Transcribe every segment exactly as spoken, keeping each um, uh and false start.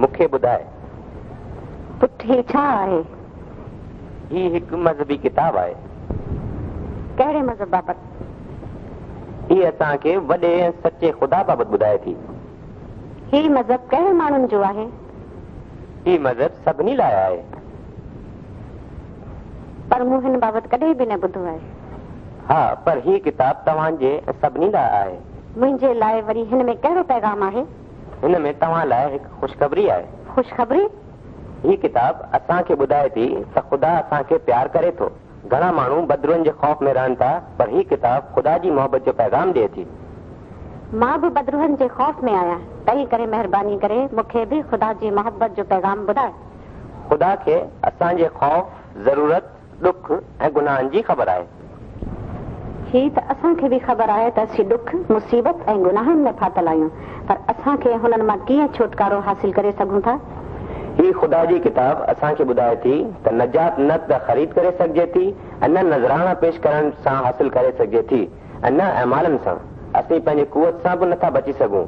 مون کي ٻڌاءِ. پٽ، هي ڇا آهي؟ هي هڪ مذهبي ڪتاب آهي. ڪهڙي مذهب بابت؟ هي اسان کي وڏي ۽ سچي خدا بابت ٻڌائي ٿي. هي مذهب ڪهڙي ماڻهن جو آهي؟ هي مذهب سڀني لاءِ آهي. پر مون هن بابت ڪڏهن به نه ٻڌو آهي. ها، پر هي ڪتاب توهان جي ۽ سڀني لاءِ آهي. منهنجي لاءِ وري هن ۾ ڪهڙو پيغام آهي؟ هن ۾ توهان لاءِ هڪ خوشخبري آهي. خوشخبري؟ هي ڪتاب اسان کي ٻڌائي ٿي ته خدا اسان کي پيار ڪري ٿو. گهڻا ماڻهو بدروحن جي خوف ۾ رهن ٿا، پر هي ڪتاب خدا جي محبت جو پيغام ڏئي ٿي. مان به بدروحن جي خوف ۾ آهيان، تنهن ڪري مهرباني ڪري مون کي به خدا جي محبت جو پيغام ٻڌاءِ. خدا کي اسان جي خوف، ضرورت، ڏک ۽ گناهن جي خبر آهي. هي ته اسان کي به خبر آهي ته اسين ڏک، مصيبت ۽ گناهن ۾ ڦاٿل آهيون، پر اسان کي هنن مان ڪيئن ڇوٽڪارو حاصل ڪري سگهون ٿا؟ هي خدا جي ڪتاب اسان کي ٻڌائي ٿي ته نجات نه ته خريد ڪري سگهجي ٿي ۽ نه نذرانا پيش ڪرڻ سان حاصل ڪري سگهجي ٿي ۽ نه اعمالن سان. اسين پنهنجي قوت سان به نٿا بچي سگهون.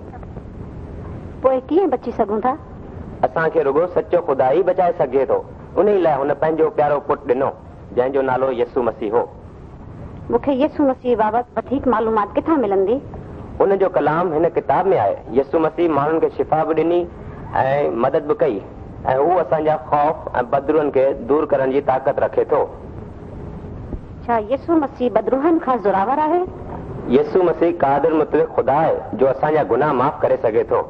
پوءِ ڪيئن بچي سگهون ٿا؟ اسان کي رڳو سچو خدا ئي بچائي سگهجي ٿو. ان لاءِ هن پنهنجو پيارو پٽ ڏنو، جنهن جو نالو يسوع مسيح هو. مون کي يسوع مسيح بابت وڌيڪ معلومات ڪٿان ملندي؟ هن جو ڪلام هن ڪتاب ۾ آهي. يسوع مسيح ماڻهن کي شفا به ڏني ۽ مدد به ڪئي، ۽ هو اسان جا خوف ۽ بدروحن کي دور ڪرڻ جي طاقت رکي ٿو. ڇا يسوع مسيح بدروحن کان زوراور آهي؟ يسوع مسيح قادر مطلق خدا آهي، جو اسان جا گناهه معاف ڪري سگهي ٿو.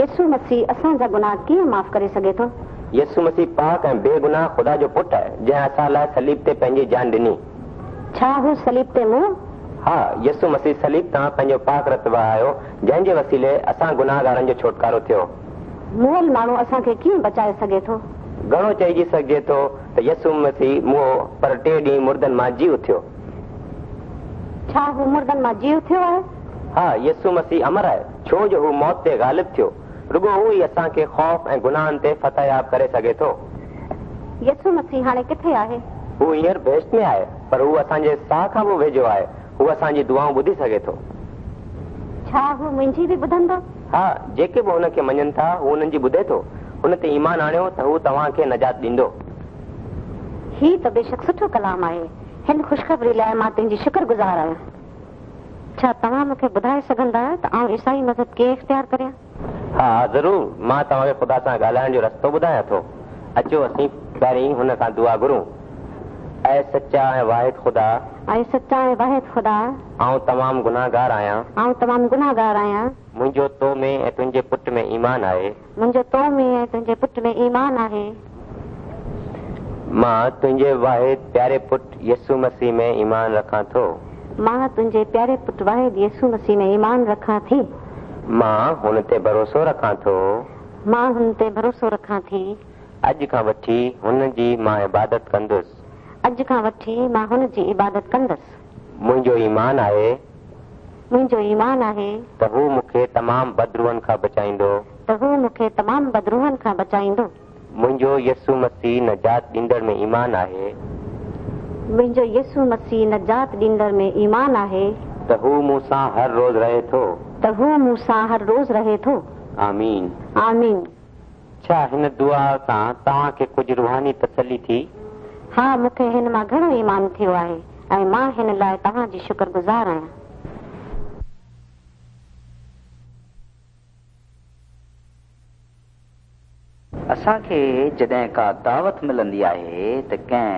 يسوع مسيح اسان جا گناهه ڪيئن معاف ڪري سگهي ٿو؟ يسوع مسيح پاڪ ۽ بيگناهه خدا جو پٽ آهي، جنهن اسان لاءِ صليب تي پنهنجي جان ڏني. ڇا هو صليب تي مئو؟ ها، يسوع مسيح صليب تان پنهنجو پاڪ رت وهايو، جنهن جي وسيلي اسان گناهگارن جو ڇوٽڪارو ٿيو. مئل ماڻهو اسان کي ڪيئن بچائي سگهي ٿو؟ گهڻو چئجي سگهجي ٿو ته يسوع مسيح مئو، پر ٽي ڏينهن مردن مان جي اٿيو. ڇا هو مردن مان جي اٿيو آهي؟ ها، يسوع مسيح امر آهي، ڇو جو هو موت تي غالب ٿيو. رڳو هو ئي اسان کي خوف ۽ گناهن تي فتحياب ڪري سگهي ٿو. يسوع مسيح هاڻي ڪٿي آهي؟ هو هينئر بهشت ۾ آهي، پر هو اسان جي ساهه کان به ويجهو آهي. هو اسان جي دعائون ٻڌي سگهي ٿو. ڇا هو منهنجي به ٻڌندو؟ ها، جيڪي به هن کي مڃن ٿا هو هنن جي ٻڌي ٿو. هن تي ايمان آڻيو ته هو توهان کي نجات ڏيندو. هي ته بيشڪ سٺو ڪلام آهي. هن خوشخبري لاءِ مان تنهنجي شڪرگذار آهيان. ڇا توهان مون کي ٻڌائي سگهندا ته آئون عيسائي مذهب ڪيئن اختيار ڪريان؟ ها ضرور، مان توهان کي خدا سان ڳالهائڻ جو رستو ٻڌايان ٿو. اچو اسين پهرين هن کان دعا گهرون. اي سچا ۽ واحد خدا، اي سچا ۽ واحد خدا، آئون تمام گناهگار آهيان. آئون تمام گناهگار آهيان. منهنجو تو ۾ ۽ تنهنجي پٽ ۾ ايمان آهي. منهنجو تو ۾ ۽ تنهنجي پٽ ۾ ايمان آهي. مان تنهنجي واحد پياري پٽ يسوع مسيح ۾ ايمان رکان ٿو. مان تنهنجي پياري پٽ واحد يسوع مسيح ۾ ايمان رکان ٿي. مان هن تي ڀروسو رکان ٿو. مان هن تي ڀروسو رکان ٿي. اڄ کان وٺي هن جي مان عبادت ڪندس. اڄ کان وٺي مان هن جي عبادت ڪندس. منهنجو ايمان آهي. منهنجو ايمان آهي ته هو مون کي تمام بدروحن کان بچائيندو. ته هو مون کي تمام بدروحن کان بچائيندو. منهنجو يسوع مسيح نجات ڏيندڙ ۾ ايمان آهي. منهنجو يسوع مسيح نجات ڏيندڙ ۾ ايمان آهي. ته هو مون سان هر روز رهي ٿو. ته هو مون سان هر روز رهي ٿو. آمين. آمين. ڇا هن دعا سان توهان کي ڪجهه روحاني تسلي ٿي؟ ها، مون کي هن مان گهڻو ايمان ٿيو آهي ۽ مان هن لاءِ توهان جي شڪرگذار آهيان. اسان کي جڏهن ڪا دعوت ملندي آهي ته ڪنهن